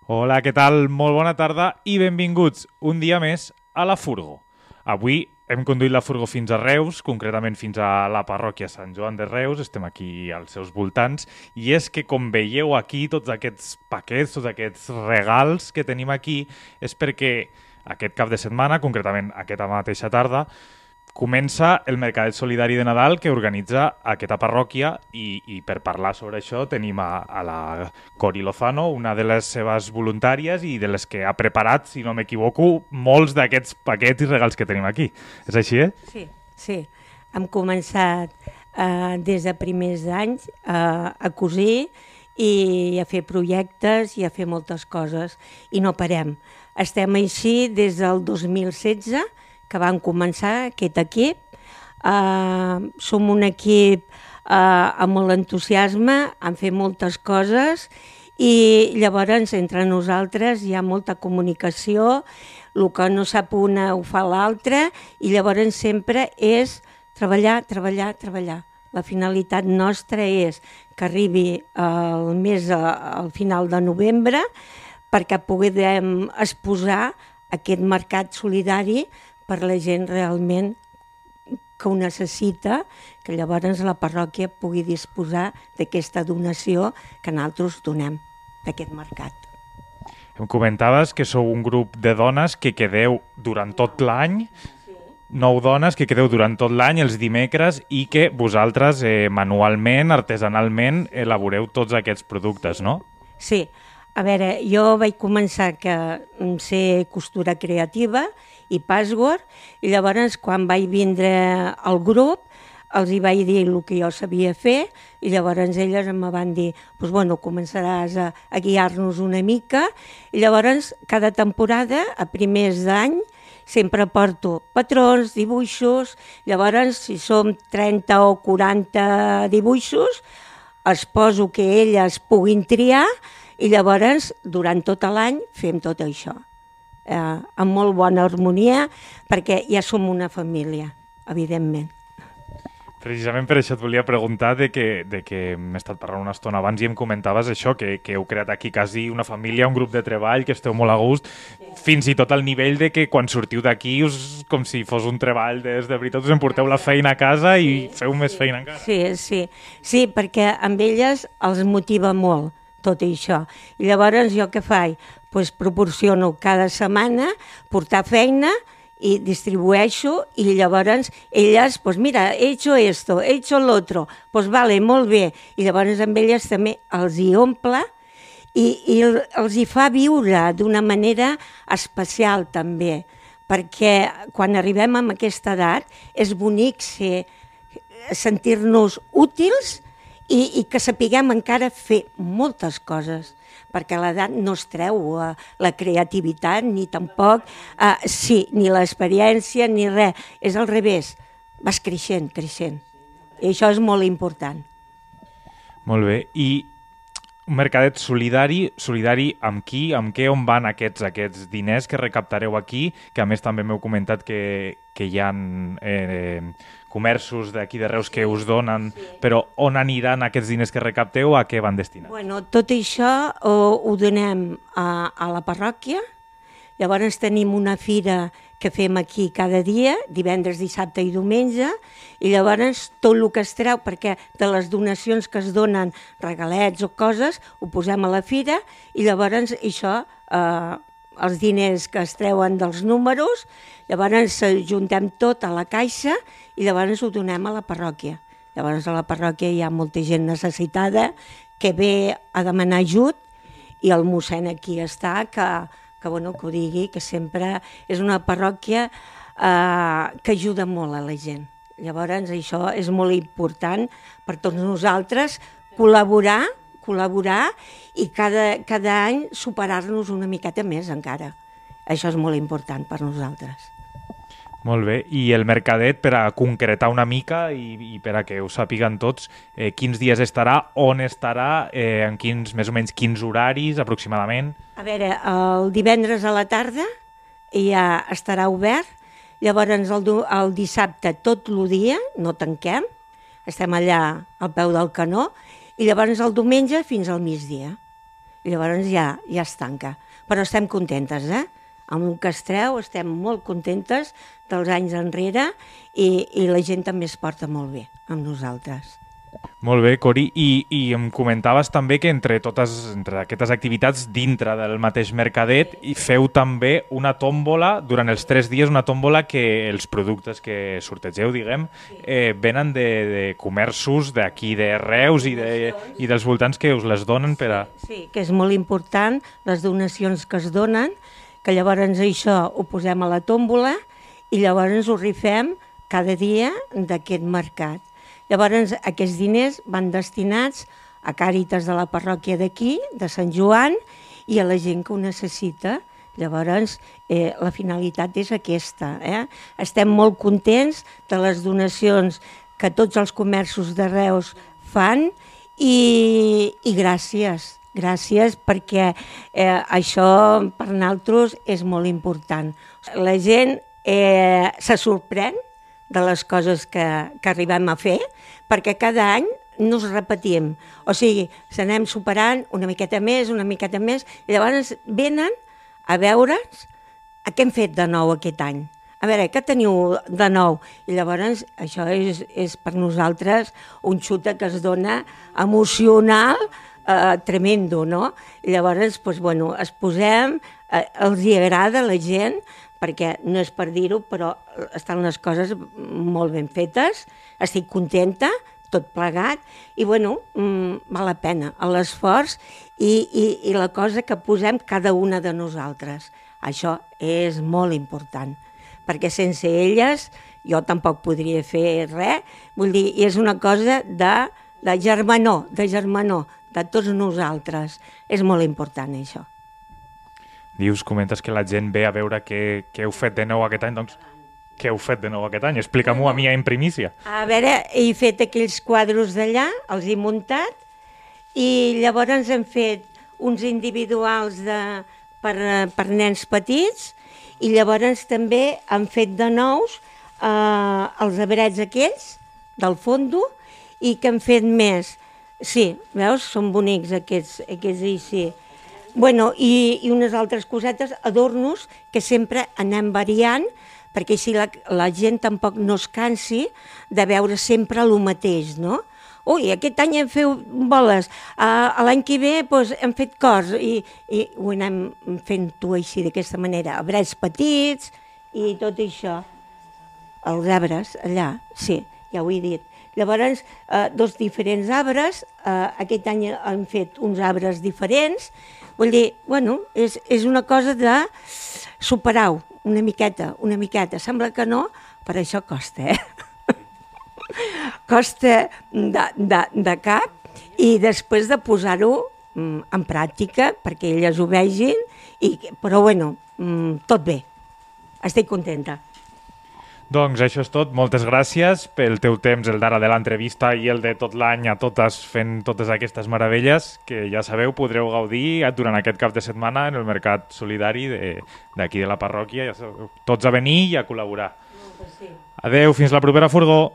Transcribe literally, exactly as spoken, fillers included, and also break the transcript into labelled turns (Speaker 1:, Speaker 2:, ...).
Speaker 1: Hola, què tal? Molt bona tarda i benvinguts un dia més a la Furgo. Avui hem conduït la Furgo fins a Reus, concretament fins a la parròquia Sant Joan de Reus, estem aquí als seus voltants, i és que com veieu aquí tots aquests paquets, tots aquests regals que tenim aquí, és perquè aquest cap de setmana, concretament aquesta mateixa tarda, comença el Mercadet Solidari de Nadal que organitza aquesta parròquia i, i per parlar sobre això tenim a, a la Cori Lozano, una de les seves voluntàries i de les que ha preparat, si no m'equivoco, molts d'aquests paquets i regals que tenim aquí. És així, eh?
Speaker 2: Sí, sí. Hem començat eh, des de primers d'anys eh, a cosir i a fer projectes i a fer moltes coses i no parem. Estem així des del dos mil setze, que van començar aquest equip. Uh, som un equip uh, amb molt entusiasme, han fet moltes coses i llavors entre nosaltres hi ha molta comunicació, el que no sap una ho fa l'altra i llavors sempre és treballar, treballar, treballar. La finalitat nostra és que arribi el mes al final de novembre perquè puguem exposar aquest mercat solidari per la gent realment que ho necessita, que llavors la parròquia pugui disposar d'aquesta donació que nosaltres donem d'aquest mercat.
Speaker 1: Em comentaves que sou un grup de dones que quedeu durant tot l'any, nou dones que quedeu durant tot l'any, els dimecres, i que vosaltres eh, manualment, artesanalment, elaboreu tots aquests productes, no?
Speaker 2: Sí. A veure, jo vaig començar que ser costura creativa i password, i llavors quan vaig vindre al grup els hi vaig dir el que jo sabia fer i llavors elles em van dir pues bueno, començaràs a, a guiar-nos una mica i llavors cada temporada, a primers d'any, sempre porto patrons, dibuixos, llavors si som trenta o quaranta dibuixos, els poso que elles puguin triar i llavors, durant tot l'any, fem tot això, eh, amb molt bona harmonia, perquè ja som una família, evidentment.
Speaker 1: Precisament per això et volia preguntar de que, de que hem estat parlant una estona abans i em comentaves això, que, que heu creat aquí quasi una família, un grup de treball, que esteu molt a gust, sí. Fins i tot al nivell de que quan sortiu d'aquí us, com si fos un treball des de veritat, us emporteu la feina a casa i feu
Speaker 2: sí,
Speaker 1: més feina encara.
Speaker 2: Sí, sí, sí, perquè amb elles els motiva molt tot això. I llavors jo què faig? Pues proporciono cada setmana portar feina i distribueixo i llavors elles, pues mira, he hecho esto, he hecho lo otro, pues vale, molt bé. I llavors amb elles també els hi omple i, i els hi fa viure d'una manera especial també, perquè quan arribem a aquesta edat és bonic ser, sentir-nos útils I, i que sapiguem encara fer moltes coses, perquè a l'edat no es treu uh, la creativitat, ni tampoc, uh, sí, ni l'experiència, ni res. És al revés, vas creixent, creixent. I això és molt important.
Speaker 1: Molt bé. I un mercadet solidari, solidari amb qui, amb què, on van aquests, aquests diners que recaptareu aquí, que a més també m'heu comentat que, que hi ha eh, comerços d'aquí de Reus que us donen, sí. Però on aniran aquests diners que recapteu, a què van destinats?
Speaker 2: Bueno, tot això ho, ho donem a, a la parròquia, llavors tenim una fira que fem aquí cada dia, divendres, dissabte i diumenge, i llavors tot el que es treu, perquè de les donacions que es donen, regalets o coses, ho posem a la fira, i llavors això, eh, els diners que es treuen dels números, llavors juntem tot a la caixa i llavors ho donem a la parròquia. Llavors a la parròquia hi ha molta gent necessitada que ve a demanar ajut i el mossèn aquí està, que, que, bueno, que ho digui, que sempre és una parròquia eh, que ajuda molt a la gent. Llavors això és molt important per tots nosaltres, col·laborar, col·laborar i cada, cada any superar-nos una miqueta més encara. Això és molt important per nosaltres.
Speaker 1: Molt bé, i el mercadet, per a concretar una mica i, i per a que ho sàpiguen tots, eh, quins dies estarà, on estarà, eh, en quins, més o menys quins horaris aproximadament?
Speaker 2: A veure, el divendres a la tarda ja estarà obert, llavors el, el dissabte tot el dia, no tanquem, estem allà al peu del canó, i llavors el diumenge fins al migdia. i llavors ja, ja es tanca. Però estem contentes, eh? Amb el que es treu estem molt contentes dels anys enrere i, i la gent també es porta molt bé amb nosaltres.
Speaker 1: Molt bé, Cori, i, i em comentaves també que entre totes entre aquestes activitats dintre del mateix mercadet i feu també una tòmbola durant els tres dies, una tòmbola que els productes que sortegeu, diguem, eh, venen de, de comerços d'aquí de Reus i, de, i dels voltants que us les donen per a...
Speaker 2: Sí, que és molt important, les donacions que es donen, que llavors això ho posem a la tòmbola i llavors ho rifem cada dia d'aquest mercat. Llavors, aquests diners van destinats a Càritas de la parròquia d'aquí, de Sant Joan, i a la gent que ho necessita. Llavors, eh, la finalitat és aquesta. Eh? Estem molt contents de les donacions que tots els comerços de Reus fan i, i gràcies. Gràcies perquè eh, això per nosaltres és molt important. La gent eh, se sorprèn de les coses que, que arribem a fer, perquè cada any no ens repetim. O sigui, s'anem superant una miqueta més, una miqueta més, i llavors venen a veure'ns a què hem fet de nou aquest any. A veure, què teniu de nou? I llavors això és, és per nosaltres un xuta que es dona emocional eh, tremendo, no? I llavors, doncs, bueno, es posem, eh, els hi agrada a la gent, perquè no és per dir-ho, però estan les coses molt ben fetes, estic contenta, tot plegat, i bueno, mmm, val la pena l'esforç i, i, i la cosa que posem cada una de nosaltres. Això és molt important, perquè sense elles jo tampoc podria fer res, vull dir, i és una cosa de, de germanor, de germanor, de tots nosaltres. És molt important això.
Speaker 1: Dius, comentes que la gent ve a veure què, què heu fet de nou aquest any, doncs què heu fet de nou aquest any? Explica-m'ho a mi en primícia.
Speaker 2: A veure, he fet aquells quadros d'allà, els he muntat, i llavors hem fet uns individuals de, per, per nens petits, i llavors també han fet de nous eh, els abrets aquells, del fondo, i que han fet més. Sí, veus? Són bonics aquests, aquests i sí. Bueno, i, i unes altres cosetes, adornos, que sempre anem variant, perquè així la, la gent tampoc no es cansi de veure sempre el mateix, no? Ui, aquest any hem fet boles, uh, l'any que ve doncs, hem fet cors, i, i ho anem fent-ho així, d'aquesta manera, arbres petits i tot això. Els arbres, allà, sí, ja ho he dit. Llavors, uh, dos diferents arbres, uh, aquest any hem fet uns arbres diferents. Vull dir, bueno, és, és una cosa de superar-ho una miqueta, una miqueta. Sembla que no, però això costa, eh? Costa de, de, de cap, i després de posar-ho mm, en pràctica perquè elles ho vegin, i, però bueno, mm, tot bé. Estic contenta.
Speaker 1: Doncs això és tot. Moltes gràcies pel teu temps, el d'ara de l'entrevista i el de tot l'any a totes fent totes aquestes meravelles que ja sabeu, podreu gaudir durant aquest cap de setmana en el Mercat Solidari d'aquí de, de la parròquia. Ja sabeu, tots a venir i a col·laborar. Adeu, fins la propera furgó.